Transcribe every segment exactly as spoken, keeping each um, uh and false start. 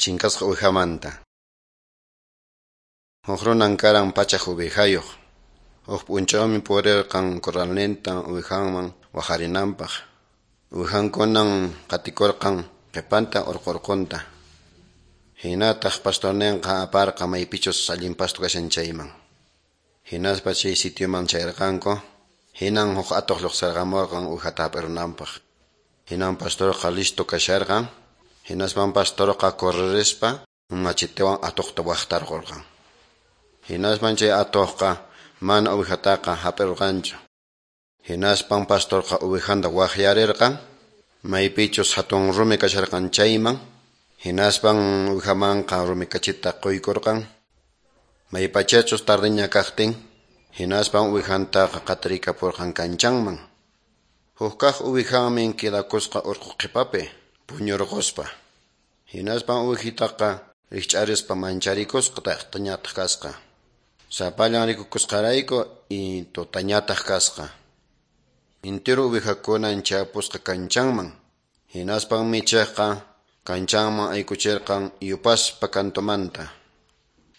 Chinkasqa uwihamanta. Huk runan karan pachak uwihayuq. Huk p'unchawmi purirqan corralninta uwihanman waharinanpaq. Uwihankunan qatikurqan qhipanta urqu-urqunta. Hinataq pastorninqa aparqa maypichus allin pasto kashan chayman. Hinaspa chay sitioman chayarqanku, hinan huk atuq lluqsirqamurqan uwihata hap'irunanpaq. Hinan pastorqa listo kasharqan, hinaspan pastorqa correrispa machitewan atuqta waqtarqurqan. Hinaspan chay atuqqa mana uwihataqa hap'irqanchu. Hinaspan pastorqa uwihanta waqyarirqan, maypichus hatun rumi kasharqan chayman, hinaspan uwihamanqa rumi kachita quykurqan. Maypachachus tardiña kaqtin, hinaspan uwihantaqa qatirikapurqan kanchanman. Huk kaq uwihanmi quedakusqa urqu qhipapi puñurquspa. Hinaspan uwihitaqa rikch'arispa mancharikusqa taqtañataq kasqa. Sapallan rikukusqarayku y tutañataq kasqa. Intiru uwihakunan chayapusqa kanchanman. Hinaspan michiqqa kanchanman aykuchirqan yupaspa kantumanta.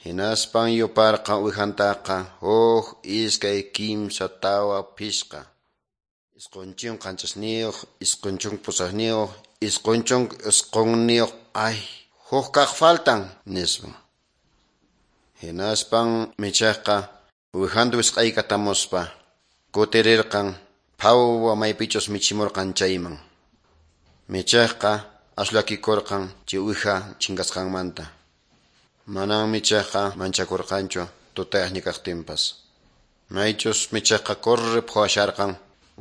Hinaspan yuparqa uwihantaqa huk, iskay, kimsa, tawa, phisqa. Isqun chunka qanchisniyuq, isqun chunka pusaqniyuq, isqun chunka isqunniyuq, ay, huk kaq faltan, nispa. Hinaspan michiqqa uwihanta wisq'aykatamuspa kutirirqan phawwa maypichus michimurqan chayman. Michiqqa asllakikurqan chay uwiha chinkasqanmanta. Manan michiqqa manchakurqanchu tutayaqña kaqtinpas. Maychus michiqqa corre phawasharqan,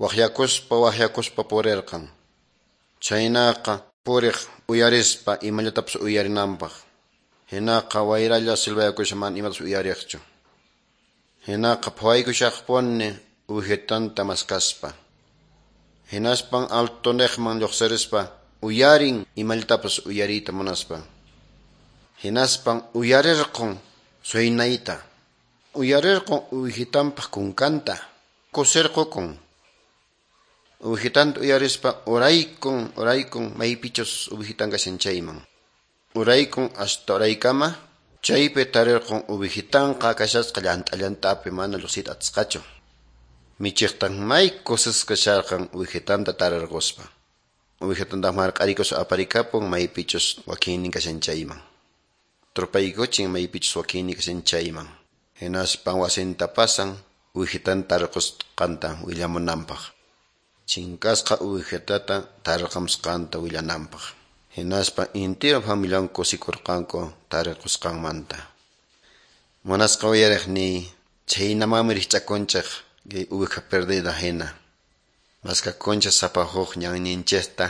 waqyakuspa waqyakuspa purirqan. Chhaynaqa puriq uyarispa imallatapas uyarinanpaq. Hinaqa wayralla silbayakusha mana imatapas uyariqchu. Hinaqa phawaykushaqpuni uwihitanta maskaspa. Hinaspan altuniqman lluqsirispa uyarin imallatapas uyariyta munaspa. Hinaspan uyarirqun suynayta. Uyarirqun uwihitanpaq kunkanta. Kusirqukun. Uwihitanta uyarispa uraykun uraykun maypichus uwihitan kashan chayman. Uraykun hasta uraykama chaypi tarirqun uwihitanqa kashasqa llant'a llant'api mana lluqsiyta atisqachu. Michiqtan may kusisqa kasharqan uwihitanta tarirquspa. Uwihitantaq marq'arikuspa aparikapun maypichus wakinnin kashan chayman. Trupaykuchin maypichus wakinnin kashan chayman. Hinaspan wasinta pasan uwihitanta tarirqusqanta willamunanpaq. Chinkasqa uwihitata tarirqamusqanta willananpaq. Hinaspa intiro familian kusikurqanku tarirqusqanmanta. Munasqa uyariqniy, chhaynamanmi rikch'akunchik kay uwiha perdida hina. Maskakunchik sapa huk ñanninchikta,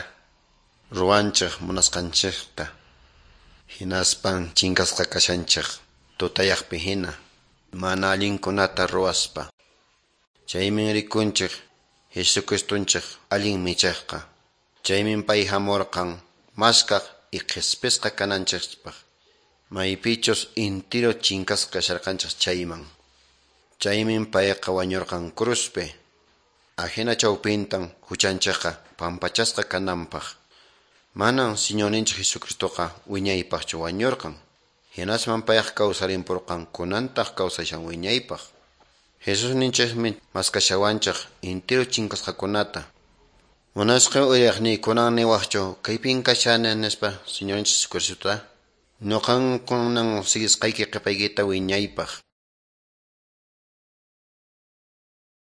ruwanchik munasqanchikta. Hinaspan chinkasqa kashanchik tutayaqpi hina, mana allinkunata ruwaspa. Chaymi rikunchik Jesucristunchik allin michiqqa. Chaymi pay hamurqan maskaq y qhispisqa kananchikpaq. Maypichus intiro chinkasqa kasharqanchik chayman. Chaymi payqa wañurqan cruzpi. Ajina chawpintan huchanchikqa pampachasqa kananpaq. Manan Señorninchik Jesucristoqa wiñaypaqchu wañurqan. Hinasman payqa kawsarimpurqan kunantaq kawsashan wiñaypaq. Jesusninchikmi maskashawanchik intiro chinkasqakunata. Munasqa uyariqniy kunan niwaqchu kaypin kashani nispa Señorninchik Jesucristota. Nuqan kunan siguisqayki qhipaykita wiñaypaq.